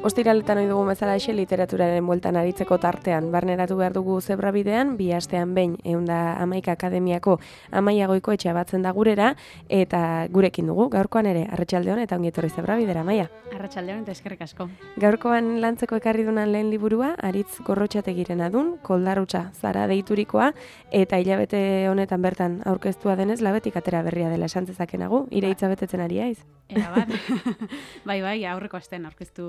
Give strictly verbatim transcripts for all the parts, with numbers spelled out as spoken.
Ostiraletan ohi dugun bezala eixe literaturaren bueltan aritzeko tartean barneratu behar dugu zebrabidean, bi astean behin ehun eta hamaika akademiako Amaiagoiko etxea batzen da gurera, eta gurekin dugu, gaurkoan ere, arratsaldeon eta ongi etorri zebrabidera, Amaia. Arratsaldeon eta eskerrik asko. Gaurkoan lantzeko ekarri dunan lehen liburua, Aritz Gorrotxategiren adun, Koldarrutza zara deiturikoa, eta hilabete honetan bertan aurkeztua denez, labetik atera berria dela esan zezakenagu, ire hitza betetzen ari haiz. Era bat, bai, bai, aurreko astean aurkeztu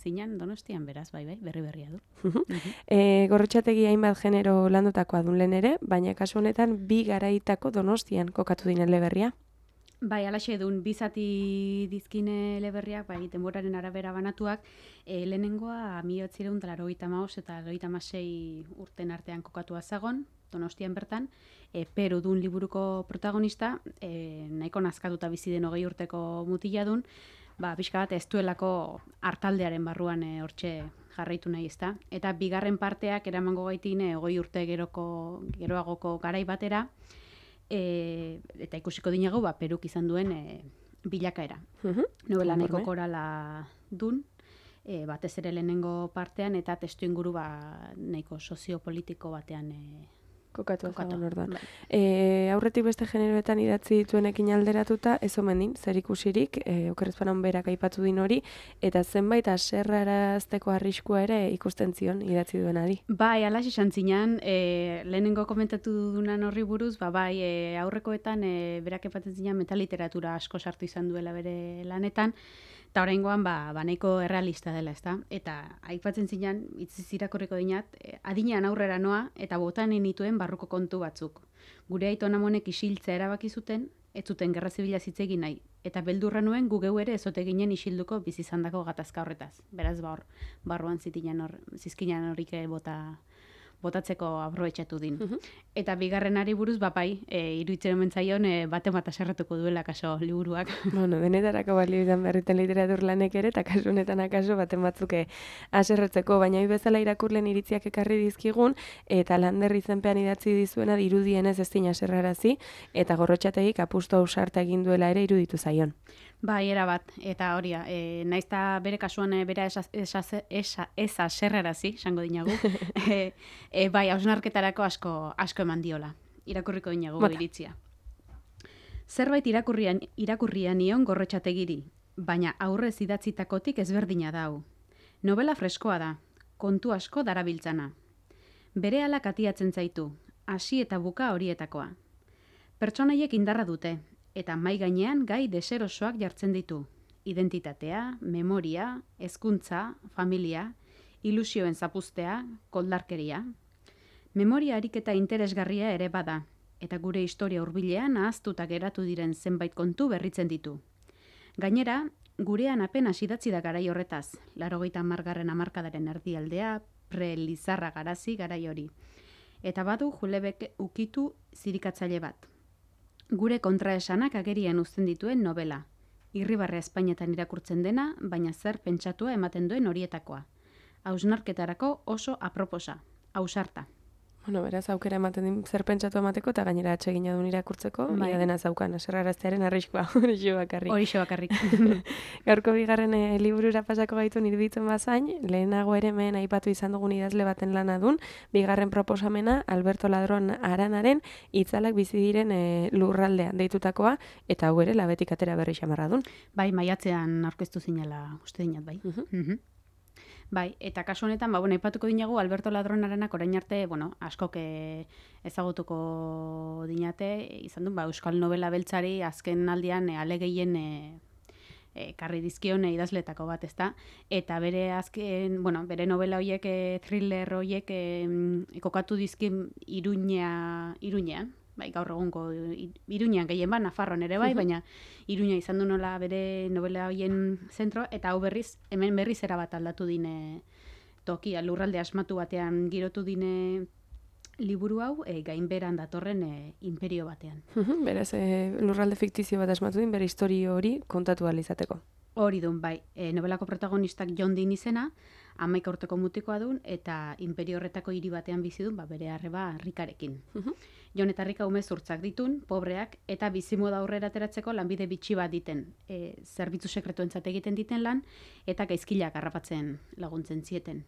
zinan Donostian, beraz, bai, bai, berri berria du. e, Gorrotxategi hainbat genero landutakoa dun lehen ere, baina kasu honetan bi garaitako Donostian kokatu dinen eleberria. Bai, alaxe dun, bizati dizkine eleberriak, bai, denboraren arabera banatuak, e, lehenengoa mila bederatziehun eta laurogeita hamabost eta laurogeita hamasei urten artean kokatua zagon, Donostian bertan, e, Peru dun liburuko protagonista, e, nahiko nazkatuta bizi den hogei urteko mutila dun, ba, pixka bat ez duelako hartaldearen barruan e, hortxe jarraitu nahi ezta. Eta bigarren parteak eramango gaitin e, hogei urte geroko, geroagoko garai batera, e, eta ikusiko dinago, ba, Peruk izan duen e, bilakaera. Uh-huh. Novela nahiko korala dun, e, batez ere lehenengo partean, eta testu inguru ba, nahiko soziopolitiko batean e, Kokatu ezagun orduan. Bai. E, aurretik beste generoetan idatzi dituenekin alderatuta, ez omen din, zer ikusirik, e, okerrezpanan berak aipatu din hori, eta zenbait aserrarazteko arriskua ere ikusten zion idatzi duenari. Bai, alax esan zinan, e, lehenengo komentatu dunan horri buruz, ba, bai, e, aurrekoetan e, berak epatzen zinan metaliteratura asko sartu izan duela bere lanetan, eta oraingoan ba, ba nahiko errealista dela, ezta? Eta aipatzen zinan, itziz irakorriko dinat, e, adinean aurrera noa, eta botanen nituen barruko kontu batzuk. Gure aiton amonek isiltzea erabaki zuten, ez zuten gerra zibila hitz egin nahi, eta beldurra nuen gu geu ere ezote ginen isilduko bizi izandako gatazka horretaz. Beraz, ba hor, barruan zitinan hor, zizkinan horik bota botatzeko aprobetxatu din. Uh-huh. Eta bigarrenari buruz, bapai, e, iruditzen omentzaion, e, bate bat aserratuko duela kaso liburuak. Bueno, denetarako balio izan berriten literatur lanek ere, eta kasu honetan akaso baten batzuke aserretzeko, baina hoi bezala irakurlen iritziak ekarri dizkigun, eta Lander izenpean idatzi dizuena dirudienez ez dina aserrarazi, eta Gorrotxategik apustu ausarta egin duela ere iruditu zaion. Bai, era bat, eta hori, e, naizta bere kasuan e, bera ez aserrarazi, esango dinagu, e, e, bai, hausnarketarako asko, asko eman diola, irakurriko dinagu Bota. Iritzia. Zerbait irakurrian, irakurrian nion Gorrotxategiri, baina aurrez idatzitakotik ezberdina dau. Novela freskoa da, kontu asko darabiltzana. Bere alak atiatzen zaitu, hasi eta buka horietakoa. Pertsonaiek indarra dute, eta mai gainean gai deserosoak jartzen ditu. Identitatea, memoria, hezkuntza, familia, ilusioen zapuztea, koldarkeria. Memoria ariketa interesgarria ere bada, eta gure historia hurbilean ahaztuta geratu diren zenbait kontu berritzen ditu. Gainera, gurean apenas idatzi da garai horretaz, laurogeita hamargarren hamarkadaren erdialdea, pre-Lizarra garazi garai hori. Eta badu Julebek ukitu zirikatzaile bat. Gure kontraesanak agerian uzten dituen novela. Irribarre Espainetan irakurtzen dena, baina zer pentsatua ematen duen horietakoa. Hausnarketarako oso aproposa, ausarta. Bueno, beraz, aukera ematen din zer pentsatu emateko, eta gainera atsegina duen irakurtzeko, bai. Ia dena zaukan, aserraraztearen arriskua, horixe bakarrik. Horixe bakarrik. Gaurko bigarren e, liburura pasako gaitu iruditzen bazain, lehenago ere mehen aipatu izan dugun idazle baten lana dun, bigarren proposamena Alberto Ladron Aranaren itzalak bizi diren e, lurraldean deitutakoa, eta hau ere labetik atera berri xamarra dun. Bai, maiatzean aurkeztu zinela uste dinat, bai. Uh-huh. Uh-huh. Bai, eta kasu honetan, ba, bueno, aipatuko dinagu Alberto Ladron Aranak orain arte, bueno, askok ezagutuko dinate, izan du, ba, euskal novela beltzari azken aldian e, alegehien e, e, karri dizkion e, idazletako bat, ezta? Eta bere azken, bueno, bere novela hoiek, e, thriller hoiek e, kokatu dizkin Iruña, Iruñean, bai, gaur egunko Iruñean gehien ba, Nafarroan ere bai, baina Iruña izan du nola bere novela hoien zentro, eta hau berriz, hemen berriz erabat aldatu dine tokia, lurralde asmatu batean girotu dine liburu hau e, gainberan datorren e, imperio batean. Beraz, e, lurralde fiktizio bat asmatu din, bere historio hori kontatu ahal izateko. Hori dun, bai. E, novelako protagonistak John Dean izena, hamaika urteko mutikoa dun, eta imperio horretako hiri batean bizi dun, ba, bere arreba Rikarekin. Jon eta Rika ume zurtzak ditun, pobreak, eta bizimoda aurrera ateratzeko lanbide bitxi bat diten. E, zerbitzu sekretuentzat egiten diten lan, eta gaizkilak harrapatzen laguntzen zieten.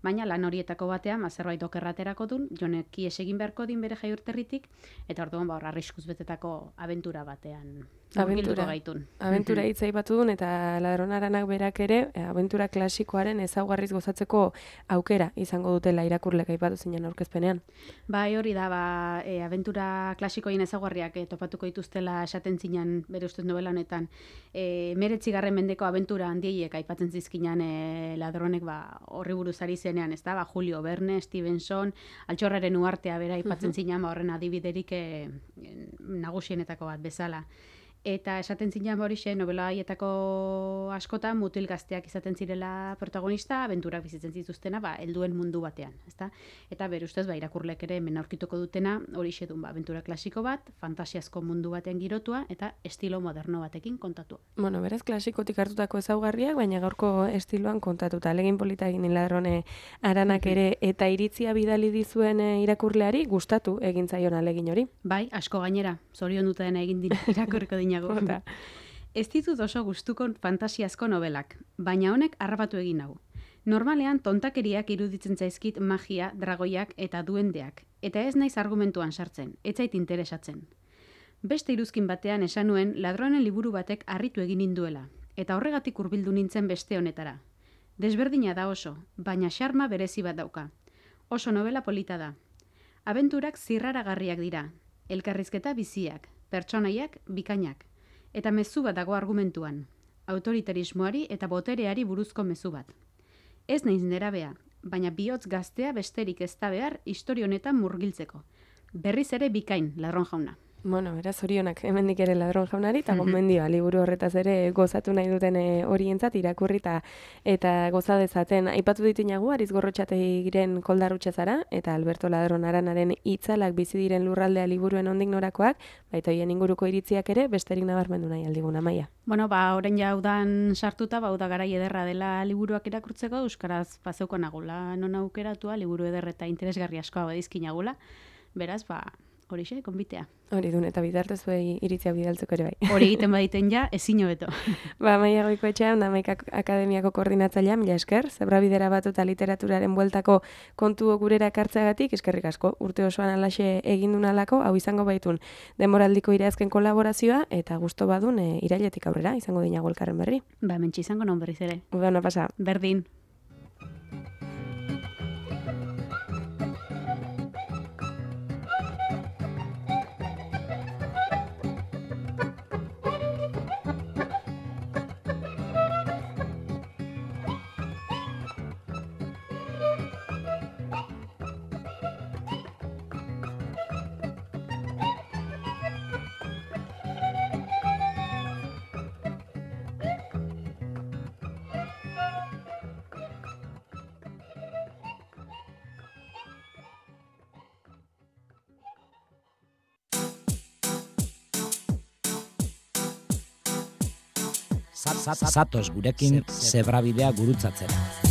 Baina lan horietako batean, zerbait okerraterako dun, Jonek ihes egin beharko din bere jaiurterritik, eta orduan ba, arriskuz betetako abentura batean. Abentura, abentura hitz aipatu duen, eta Ladronaranak berak ere, abentura klasikoaren ezaugarriz gozatzeko aukera izango dutela irakurlek aipatu zinen aurkezpenean. Bai, hori da, ba, e, abentura klasikoien ezaugarriak e, topatuko dituztela esaten zinen bere ustez novela honetan. E, meretzigarren mendeko abentura handieiek aipatzen zizkinan e, Ladronek ba, horri buruz ari zenean, ez da, ba, Julio Verne, Stevenson, Altxorraren uhartea bera aipatzen uh-huh. zinen, ba, horren adibiderik e, nagusienetako bat bezala. Eta esaten zinean horixe, novela haietako askotan mutil gazteak izaten zirela protagonista, abenturak bizitzen zituztena, ba, helduen mundu batean, ezta? Eta bere ustez, ba, irakurlek ere hemen aurkituko dutena, horixe dun, ba, abentura klasiko bat, fantasiazko mundu batean girotua, eta estilo moderno batekin kontatu. Bueno, berez klasikotik hartutako ezaugarriak, baina gaurko estiloan kontatuta. Alegin polita egin Ladrone Aranak ere, eta iritzia bidali dizuen irakurleari gustatu egin zaion alegin hori. Bai, asko gainera, zorion dutena egin dira irakurriko dina. Ez ditut oso gustuko fantasiazko novelak, baina honek harrapatu egin hau. Normalean tontakeriak iruditzen zaizkit magia, dragoiak eta duendeak, eta ez naiz argumentuan sartzen, ez zait interesatzen. Beste iruzkin batean esan nuen Ladronen liburu batek harritu egin ninduela, eta horregatik hurbildu nintzen beste honetara. Desberdina da oso, baina xarma berezi bat dauka. Oso novela polita da. Abenturak zirraragarriak dira, elkarrizketa biziak, pertsonaiak bikainak, eta mezu bat dago argumentuan, autoritarismoari eta botereari buruzko mezu bat. Ez naiz nerabea, baina bihotz gaztea besterik ez da behar historia honetan murgiltzeko. Berriz ere bikain, Ladron jauna. Bueno, beraz orionak hemendik ere Ladron jaunari, eta gomendioa liburu horretaz ere gozatu nahi duten horientzat irakurri eta goza dezaten. Aipatu dituinagu, Ariz Gorrotxategiren koldarrutxe zara, eta Alberto Ladron Aranaren itzalak bizi diren lurraldea liburuen ondik norakoak, baita hoien inguruko iritziak ere besterik nabarmendu nahi aldiguna, Maia. Bueno, ba, orain jaudan sartuta, ba, uda garai ederra dela liburuak irakurtzeko, euskaraz bazeuko nagula non aukeratua, liburu eder eta interesgarri askoa badizkin nagula, beraz, ba, horixe, konbitea. Hori dun, eta bitartez zuei iritzia bidaltzeko ere bai. Hori egiten baditen ja, ezin hobeto. Ba, Maia Goikoetxean, Hamaika Akademiako koordinatzailea, mila esker, Zebra-bidera batu eta literaturaren bueltako kontu gurera ekartzeagatik, eskerrik asko, urte osoan alaxe egin dunalako, hau izango baitun denboraldiko irazken kolaborazioa, eta gusto badun e, irailetik aurrera, izango dinago elkarren berri. Ba, mentxe izango non berriz ere. Uda, ona pasa. Berdin. Zatoz gurekin Zebra-bidea gurutzatzera.